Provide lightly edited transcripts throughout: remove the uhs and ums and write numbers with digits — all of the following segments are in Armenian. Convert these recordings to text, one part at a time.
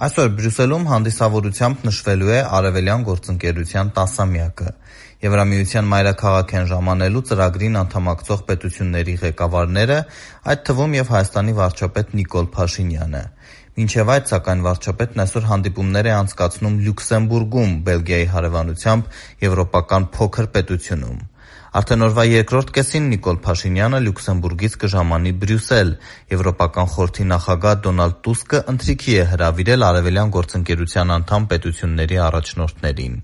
Այսօր Բրյուսելում հանդիսավորությամբ նշվելու է Արևելյան գործընկերության 10-ամյակը։ Եվրամիության մայրաքաղաք են ժամանելու ծրագրին անդամակցող պետությունների ղեկավարները, այդ թվում և Հայաստանի վարչապետ Նիկոլ Փաշինյանը։ Մինչև այդ, սակայն, վարչապետն այսօր հանդիպումներ է անցկացնում Լյուքսեմբուրգում, Բելգիայի հարևանությամբ եվրոպական փոքր պետությունում։ Արդեն օրվա երկրորդ կեսին Նիկոլ Փաշինյանը Լյուքսեմբուրգից կժամանի Բրյուսել։ Եվրոպական խորհրդի նախագահ Դոնալդ Տուսկը ընթրիքի է հրավիրել Արևելյան գործընկերության անդամ պետությունների առաջնորդներին։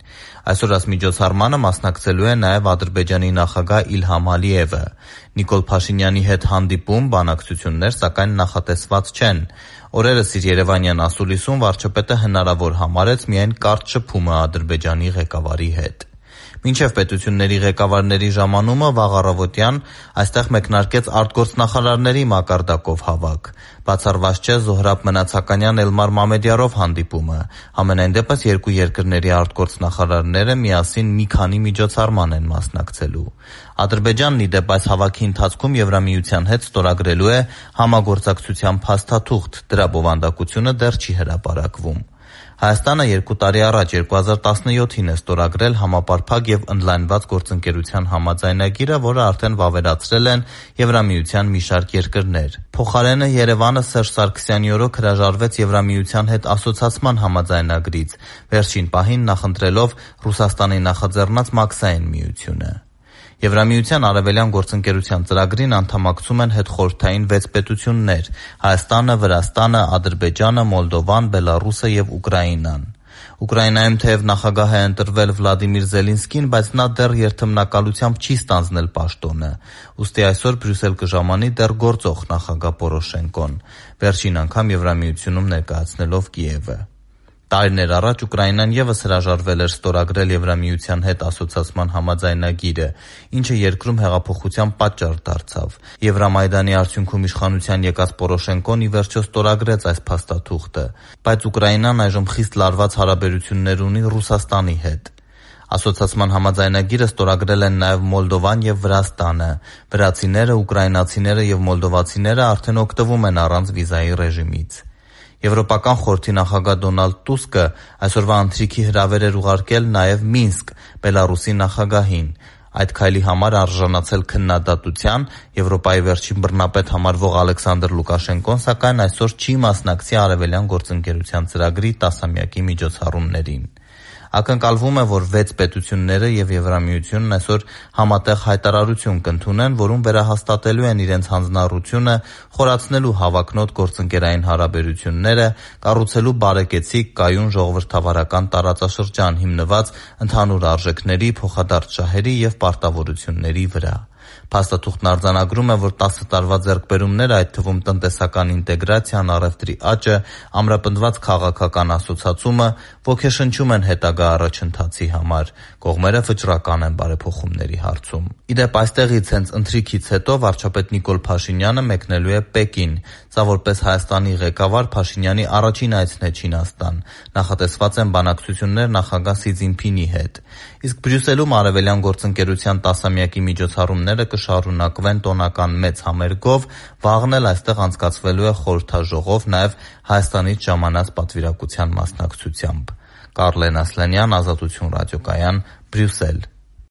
Այսօր այս միջոցառմանը մասնակցելու է նաև Ադրբեջանի նախագահ Իլհամ Ալիևը։ Նիկոլ Փաշինյանի հետ հանդիպում, բանակցություններ, սակայն նախատեսված չեն։ Օրերս իր երևանյան ասուլիսում վարչապետը հնարավոր համարեց միայն կարճ շփումը Ադրբեջանի ղեկավարի հետ։ Մինչև պետությունների ղեկավարների ժամանումը վաղ առավոտյան այստեղ մեկնարկեց արտգործնախարարների մակարդակով հավաք։ Բացառված չէ Զոհրաբ Մնացականյան Էլմար Մամեդյարով հանդիպումը։ Համենայն դեպս երկու երկրների արտգործնախարարները միասին մի քանի միջոցառման են մասնակցելու։ Ադրբեջանն ի դեպ այս հավաքի ընթացքում Եվրամիության հետ ստորագրելու է համագործակցության փաստաթուղթ, դրա բովանդակությունը դեռ չի հրապարակվում։ Հայաստանը 2 տարի առաջ 2017-ին է ստորագրել համապարփակ և ընդլայնված գործընկերության համաձայնագիրը, որը արդեն վավերացրել են Եվրամիության մի շարք երկրներ։ Փոխարենը Երևանը Սերժ Սարգսյանի օրոք հրաժարվեց Եվրամիության հետ ասոցացման համաձայնագրից, վերջին պահին նախընտրելով Ռուսաստանի նախաձեռնած Մաքսային միությունը։ Եվրամիության Արևելյան գործընկերության ծրագրին անդամակցում են հետխորհրդային 6 պետություններ՝ Հայաստանը, Վրաստանը, Ադրբեջանը, Մոլդովան, Բելառուսը և Ուկրաինան։ Ուկրաինայում թեև նախագահ է ընտրվել Վլադիմիր Զելինսկին, բայց նա դեռ երթմնակալությամբ չի ստանձնել պաշտոնը, ուստի այսօր Բրյուսել կժամանի դեռ գործող նախագահ Պորոշենկոն, վերջին անգամ Եվրամիությունում ներկայացնելով Կիևը։ Տարիներ առաջ Ուկրաինան ևս հրաժարվել էր ստորագրել Եվրամիության հետ ասոցացման համաձայնագիրը, ինչը երկրում հեղափոխության պատճառ դարձավ։ Եվրամայդանի արդյունքում իշխանության եկած Պորոշենկոն ի վերջո ստորագրեց այս փաստաթուղթը, բայց Ուկրաինան այժմ խիստ լարված հարաբերություններ ունի Ռուսաստանի հետ։ Ասոցացման համաձայնագիրը ստորագրել են նաև Մոլդովան և Վրաստանը։ Վրացիները, ուկրաինացիները և մոլդովացիները արդեն օգտվում են առանց վիզայի ռեժիմից։ Եվրոպական խորհրդի նախագահ Դոնալդ Տուսկը այսօրվա ընթրիքի հրավեր էր ուղարկել նաև Մինսկ, Բելառուսի նախագահին։ Այդ քայլի համար արժանացել քննադատության Եվրոպայի վերջին բռնապետ համարվող Ալեքսանդր Լուկաշենկոն, սակայն այսօր չի մասնակցի Արևելյան գործընկերության ծրագրի 10-ամյակի միջոցառումներին։ Ակնկալվում է, որ 6 պետությունները և Եվրամիությունն այսօր համատեղ հայտարարություն կընդունեն, որում վերահաստատելու են իրենց հանձնառությունը խորացնելու հավակնոտ գործընկերային հարաբերությունները, կառուցելու բարեկեցիկ, կայուն ժողովրդավարական տարածաշրջան հիմնված ընդհանուր արժեքների, փոխադարձ շահերի և պարտավորությունների վրա։ Փաստաթուղթն արձանագրում է, որ 10 տարվա ձեռքբերումները, այդ թվում տնտեսական ինտեգրացիան, առևտրի աճը, ամրապնդված քաղաքական ասոցացումը ոգեշնչում են հետագա առաջընթացի համար։ Կողմերը վճռական են բարեփոխումների հարցում։ Ի դեպ, այստեղից հենց ընթրիքից հետո վարչապետ Նիկոլ Փաշինյանը մեկնելու է Պեկին։ Սա որպես Հայաստանի ղեկավար Փաշինյանի առաջին այցն է Չինաստան։ Նախատեսված են բանակցություններ նախագահ Սի Ցզինփինի հետ։ Իսկ Բրյուսելում Արևելյան գործընկերության 10-ամյակի միջոցառումները կշարունակվեն տոնական մեծ համերգով, վաղն էլ այստեղ անցկացվելու է խորհրդաժողով, նաև Հայաստանից ժամանած պատվիրակության մասնակցությամբ։ Կարլեն Ասլանյան, Ազատություն ռադիոկայան, Բրյուսել։